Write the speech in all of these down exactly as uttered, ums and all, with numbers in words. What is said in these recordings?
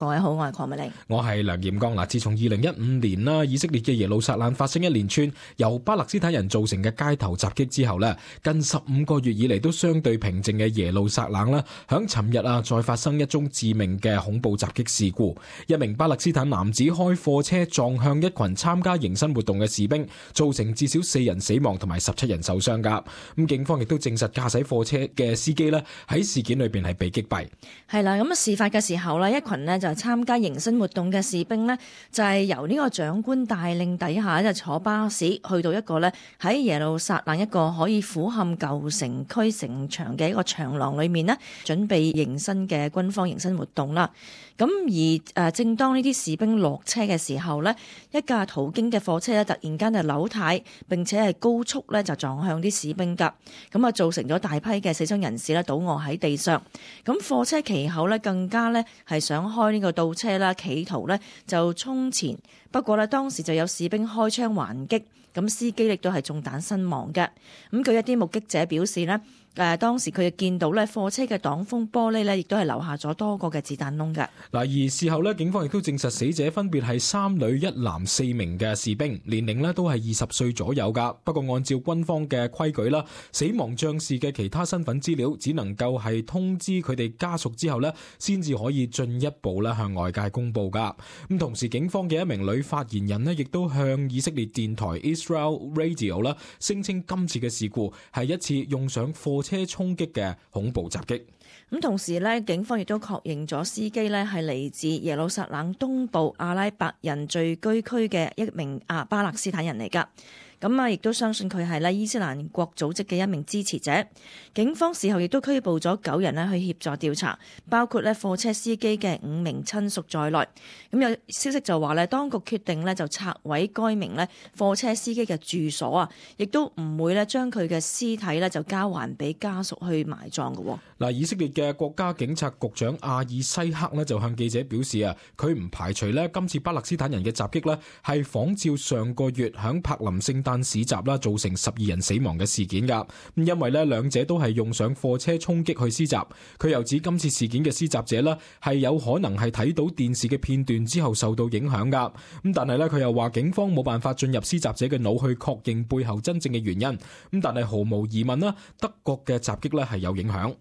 各位好，我係鄺美玲，我係梁彥剛。嗱，自從二零一五年啦，以色列嘅耶路撒冷發生一連串由巴勒斯坦人造成嘅街頭襲擊之後咧，近十五個月以嚟都相對平靜嘅耶路撒冷啦，響尋日啊再發生一宗致命嘅恐怖襲擊事故。一名巴勒斯坦男子開貨車撞向一群參加迎新活動嘅士兵，造成至少四人死亡同埋十七人受傷噶。咁警方亦都證實駕駛貨車嘅司機咧喺事件裏邊係被擊斃。係啦，咁啊事發嘅時候咧，一群呢就參加迎新活動嘅士兵呢，就係由呢個長官帶領底下就坐巴士去到一個呢喺耶路撒冷一個可以俯瞰舊城區城牆嘅一個長廊裏面呢，準備迎新嘅軍方迎新活動啦。咁而誒正當呢啲士兵落車嘅時候呢，一架途經嘅貨車呢突然間就扭軚，並且係高速呢就撞向啲士兵㗎，咁啊造成咗大批嘅死傷人士呢倒卧喺地上。咁貨車其後呢更加呢係想開呢個倒車啦，企圖呢就衝前，不過呢當時就有士兵開槍還擊，咁司機亦都係中彈身亡嘅。咁據一啲目擊者表示呢，誒當時佢就見到咧貨車嘅擋風玻璃咧，亦都係留下咗多個嘅子彈窿嘅。嗱，而事後咧，警方亦都證實死者分別係三女一男四名嘅士兵，年齡咧都係二十歲左右噶。不過按照軍方嘅規矩啦，死亡將士嘅其他身份資料只能夠係通知佢哋家屬之後咧，先至可以進一步咧向外界公布噶。咁同時，警方嘅一名女發言人咧，亦都向以色列電台 Israel Radio 啦聲稱今次嘅事故係一次用上貨車衝擊嘅恐怖襲擊。咁同時咧，警方亦都確認咗司機咧係嚟自耶路撒冷東部阿拉伯人聚居區嘅一名啊巴勒斯坦人嚟㗎。咁啊，亦都相信佢係咧伊斯蘭國組織嘅一名支持者。警方事後亦都拘捕咗九人咧去協助調查，包括咧貨車司機嘅五名親屬在內。咁有消息就話咧，當局決定咧就拆毀該名咧貨車司機嘅住所啊，亦都唔會咧將佢嘅屍體咧就交還俾家屬去埋葬嘅。嗱，以色列嘅國家警察局長阿爾西克咧就向記者表示啊，佢唔排除咧今次巴勒斯坦人嘅襲擊咧係仿照上個月響柏林聖誕市集啦，造成十二人死亡嘅事件噶。咁因為咧兩者都係用上貨車衝擊去施襲，佢又指今次事件嘅施襲者咧係有可能係睇到電視嘅片段之後受到影響噶。咁但係咧佢又話警方冇辦法進入施襲者嘅腦去確認背後真正嘅原因。咁但係毫無疑問啦，德國嘅襲擊咧係有影響。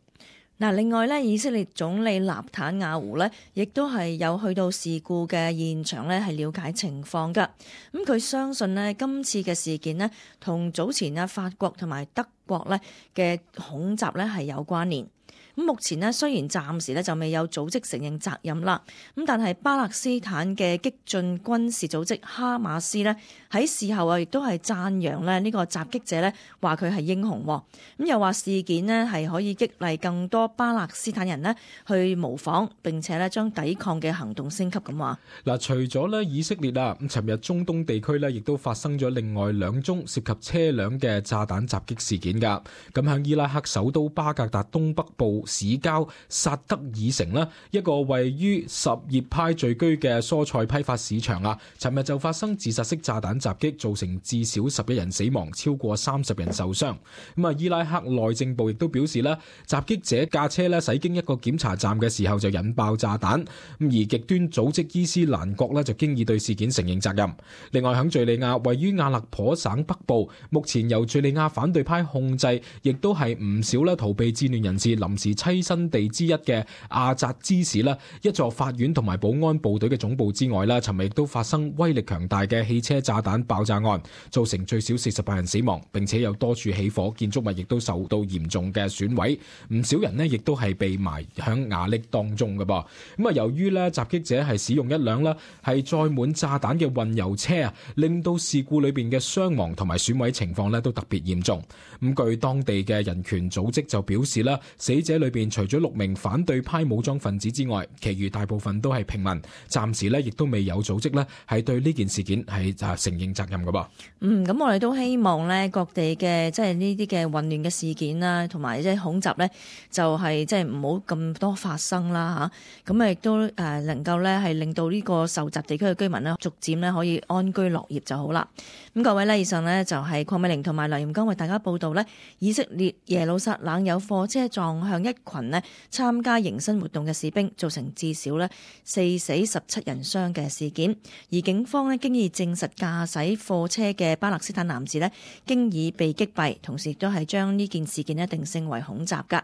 嗱，另外咧，以色列總理納坦雅胡咧，亦都係有去到事故嘅現場咧，係了解情況噶。咁佢相信呢，今次嘅事件呢，同早前啊法國同埋德國咧嘅恐襲咧係有關聯。咁目前呢，雖然暫時咧就未有組織承認責任啦，咁但係巴勒斯坦嘅激進軍事組織哈馬斯呢，喺事後啊，亦都係讚揚咧呢個襲擊者呢，話佢係英雄。咁又話事件呢係可以激勵更多巴勒斯坦人呢去模仿，並且呢將抵抗嘅行動升級咁話。嗱，除咗呢以色列啊，咁尋日中東地區呢亦都發生咗另外兩宗涉及車輛嘅炸彈襲擊事件㗎。咁喺伊拉克首都巴格達東北部市郊薩德爾城啦，一個位於什葉派聚居嘅蔬菜批發市場啊，尋日就發生自殺式炸彈襲擊，造成至少十一人死亡，超過三十人受傷。咁啊，伊拉克內政部亦都表示啦，襲擊者駕車咧駛經一個檢查站嘅時候就引爆炸彈。咁而極端組織伊斯蘭國咧就經已對事件承認責任。另外喺敘利亞位於阿勒頗省北部，目前由敘利亞反對派控制，亦都係唔少咧逃避戰亂人士臨時棲身地之一嘅阿扎茲市啦，一座法院同埋保安部隊嘅總部之外啦，尋日亦都發生威力強大嘅汽車炸彈爆炸案，造成最少四十八人死亡，並且有多處起火，建築物亦都受到嚴重嘅損毀，唔少人呢亦都係被埋響瓦礫當中嘅噃。咁啊，由於咧襲擊者係使用一輛啦係載滿炸彈嘅運油車啊，令到事故裏邊嘅傷亡同埋損毀情況咧都特別嚴重。咁據當地嘅人權組織就表示啦，死者裏邊除咗六名反對派武裝分子之外，其餘大部分都係平民。暫時咧亦都未有組織咧係對呢件事件係就承認責任嘅噃。嗯，咁我哋都希望咧各地嘅即係呢啲嘅混亂嘅事件啦，同埋即係恐襲咧，就係即係唔好咁多發生啦嚇。咁啊亦都誒能夠咧係令到呢個受襲地區嘅居民咧逐漸咧可以安居樂業就好啦。咁各位咧，以上呢就係鄺美玲同埋梁彥剛為大家報道咧，以色列耶路撒冷有貨車撞向一一群呢參加迎新活動嘅士兵，造成至少呢四死十七人傷嘅事件。而警方呢經已證實駕駛貨車嘅巴勒斯坦男子呢經已被擊斃，同時亦都係將呢件事件呢定性為恐襲㗎。